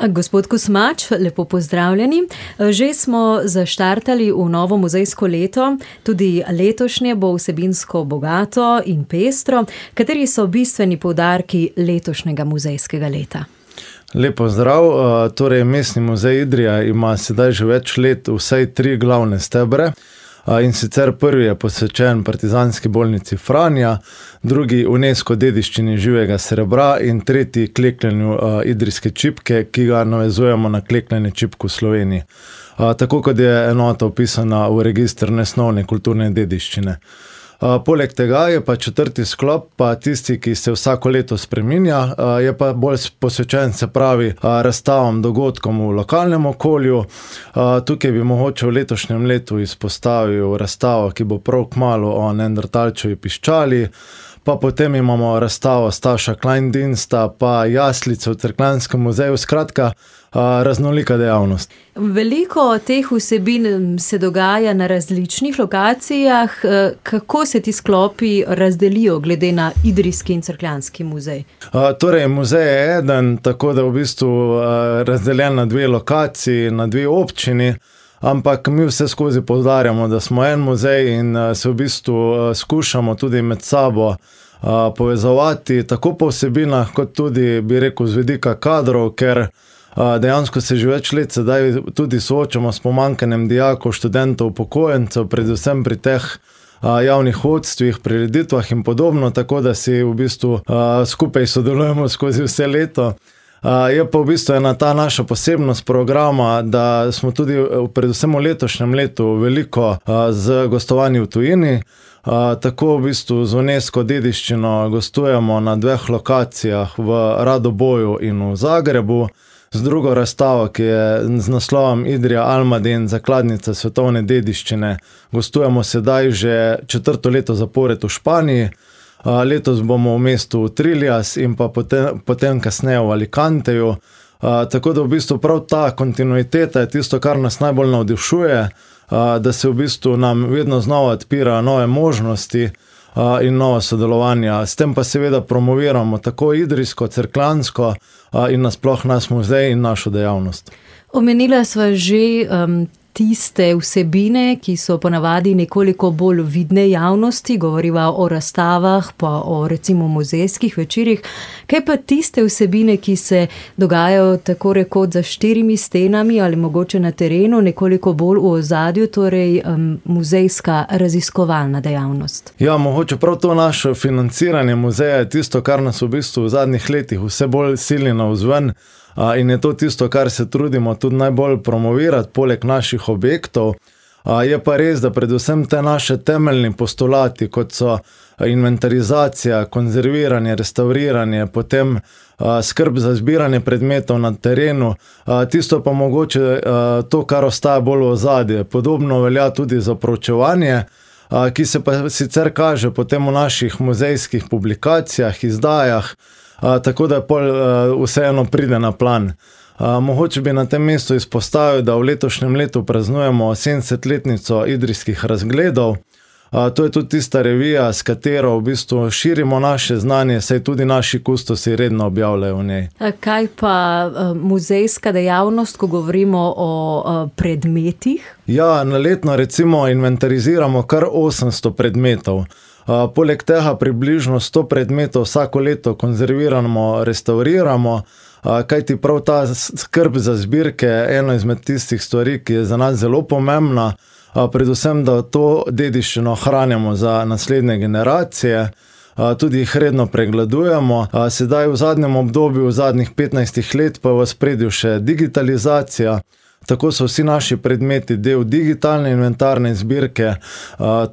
Gospod Kosmač, lepo pozdravljeni. Že smo zaštartali v novo muzejsko leto, tudi letošnje bo vsebinsko bogato in pestro. Kateri so bistveni poudarki letošnjega muzejskega leta? Lepo zdrav. Torej, Mestni muzej Idrija ima sedaj že več let vsaj 3 glavne stebre. In sicer prvi je posvečen Partizanski bolnici Franja, drugi UNESCO dediščini živega srebra in tretji klekljanju idrijske čipke, ki ga navezujemo na klekljanje čipk v Sloveniji. Tako kot je enota vpisana v register nesnovne kulturne dediščine. Poleg tega je pa 4. sklop, pa tisti, ki se vsako leto spreminja, je pa bolj posvečen, se pravi, razstavam, dogodkom v lokalnem okolju. Tukaj bi mogoče v letošnjem letu izpostavil razstavo, ki bo prav kmalu o neandertalčevi piščali, pa potem imamo razstavo Staša Kleindiensta, pa jaslice v Cerkljanskem muzeju, skratka, raznolika dejavnost. Veliko teh vsebin se dogaja na različnih lokacijah. Kako se ti sklopi razdelijo glede na Idrijski in Cerkljanski muzej? Torej, muzej je eden, tako da v bistvu razdeljen na 2 lokaciji, na 2 občini, ampak mi vse skozi poudarjamo, da smo en muzej in se v bistvu skušamo tudi med sabo povezovati, tako po vsebinah, kot tudi, bi rekel, z vidika kadrov, ker dejansko se že več let sedaj tudi soočamo s pomanjkanjem dijakov, študentov, upokojencev, predvsem pri teh javnih vodstvih, prireditvah in podobno, tako da si v bistvu skupaj sodelujemo skozi vse leto. Je pa v bistvu ena ta naša posebnost programa, da smo tudi predvsem v letošnjem letu veliko z gostovanji v tujini. Tako v bistvu z UNESCO dediščino gostujemo na 2 lokacijah, v Radoboju in v Zagrebu, z drugo razstavo, ki je z naslovom Idrija Almaden, zakladnica svetovne dediščine. Gostujemo sedaj že 4. leto zapored v Španiji. Letos bomo v mestu Triljas in pa potem kasneje v Alicanteju. Tako da v bistvu prav ta kontinuiteta je tisto, kar nas najbolj navdušuje, da se v bistvu nam vedno znova odpira nove možnosti in nova sodelovanja. S tem pa seveda promoviramo tako idrijsko, cerkljansko in nasploh naš muzej in našo dejavnost. Omenila sva že tiste vsebine, ki so ponavadi nekoliko bolj vidne javnosti, govoriva o razstavah, pa o recimo muzejskih večerih. Kaj pa tiste vsebine, ki se dogajajo tako rekoč za 4 stenami ali mogoče na terenu, nekoliko bolj v ozadju, torej muzejska raziskovalna dejavnost? Ja, mogoče prav to naše financiranje muzeja je tisto, kar nas v bistvu v zadnjih letih vse bolj sili navzven. In je to tisto, kar se trudimo tudi najbolj promovirati, poleg naših objektov. Je pa res, da predvsem te naše temeljni postulati, kot so inventarizacija, konzerviranje, restauriranje, potem skrb za zbiranje predmetov na terenu, tisto pa mogoče to, kar ostaja bolj v ozadju. Podobno velja tudi za proučevanje, ki se pa sicer kaže potem v naših muzejskih publikacijah, izdajah, tako da vseeno pride na plan. Mogoče bi na tem mestu izpostavil, da v letošnjem letu praznujemo 70-letnico idrijskih razgledov. To je tudi tista revija, s katero v bistvu širimo naše znanje, saj tudi naši kustosi redno objavljajo v njej. Kaj pa muzejska dejavnost, ko govorimo o predmetih? Ja, na letno recimo inventariziramo kar 800 predmetov. Poleg tega približno 100 predmetov vsako leto konzerviramo, restauriramo, kajti prav ta skrb za zbirke je ena izmed tistih stvari, ki je za nas zelo pomembna, predvsem, da to dediščino hranimo za naslednje generacije, tudi jih redno pregledujemo. Sedaj v zadnjem obdobju, v zadnjih 15 let pa v ospredju še digitalizacija. Tako so vsi naši predmeti del digitalne inventarne zbirke,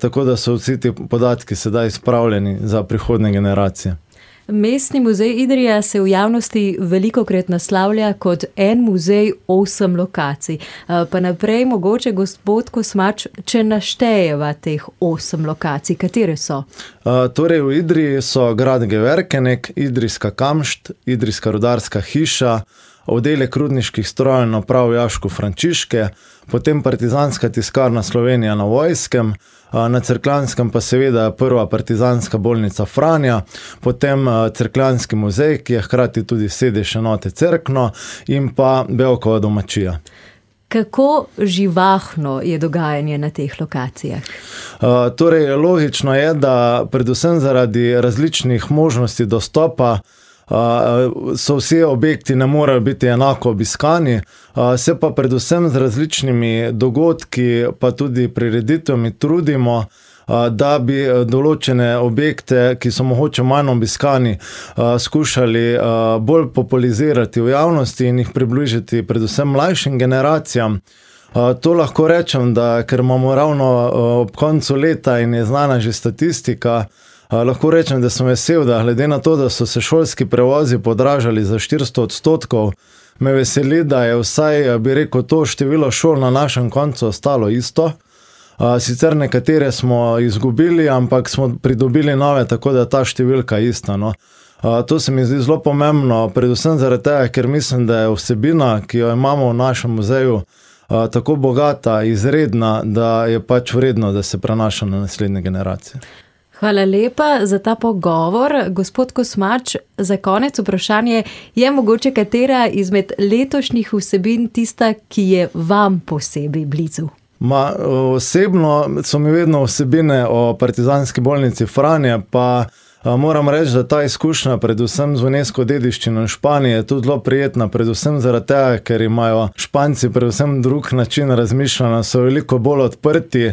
tako da so vsi ti podatki sedaj spravljeni za prihodnje generacije. Mestni muzej Idrija se v javnosti velikokrat naslavlja kot en muzej 8 lokacij. Pa naprej mogoče gospod Kosmač, če naštejeva teh 8 lokacij, katere so? Torej v Idriji so grad Geverkenek, Idrijska kamšt, Idrijska rudarska hiša, oddelek rudniških strojev in naprav Jaško Frančiške, potem Partizanska tiskarna Slovenija na Vojskem, na Cerkljanskem pa seveda prva partizanska bolnica Franja, potem Cerkljanski muzej, ki je hkrati tudi sedež enote Cerkno, in pa Bevkova domačija. Kako živahno je dogajanje na teh lokacijah? Torej, logično je, da predvsem zaradi različnih možnosti dostopa so vsi objekti ne morejo biti enako obiskani, se pa predvsem z različnimi dogodki pa tudi prireditvami trudimo, da bi določene objekte, ki so mogoče manj obiskani, skušali bolj popularizirati v javnosti in jih približati predvsem mlajšim generacijam. To lahko rečem, da ker imamo ravno ob koncu leta in je znana že statistika, lahko rečem, da sem vesel, da glede na to, da so se šolski prevozi podražali za 400%, me veseli, da je vsaj, bi rekel, to število šol na našem koncu ostalo isto. Sicer nekatere smo izgubili, ampak smo pridobili nove, tako da ta številka je ista. No. To se mi zdi zelo pomembno, predvsem zaradi tega, ker mislim, da je vsebina, ki jo imamo v našem muzeju, tako bogata, izredna, da je pač vredno, da se prenaša na naslednje generacije. Hvala lepa za ta pogovor. Gospod Kosmač, za konec vprašanje, je mogoče katera izmed letošnjih vsebin tista, ki je vam posebej blizu? Osebno so mi vedno vsebine o partizanski bolnici Franja, pa moram reči, da ta izkušnja predvsem z UNESCO dediščino v Španiji je tudi zelo prijetna, predvsem zaradi tega, ker imajo Španci predvsem drug način razmišljanja, so veliko bolj odprti,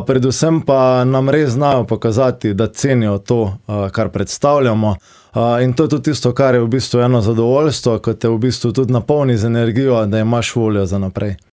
predvsem pa nam res znajo pokazati, da cenijo to, kar predstavljamo. In to je tudi tisto, kar je v bistvu eno zadovoljstvo, ko te v bistvu tudi napolni z energijo, da imaš voljo za naprej.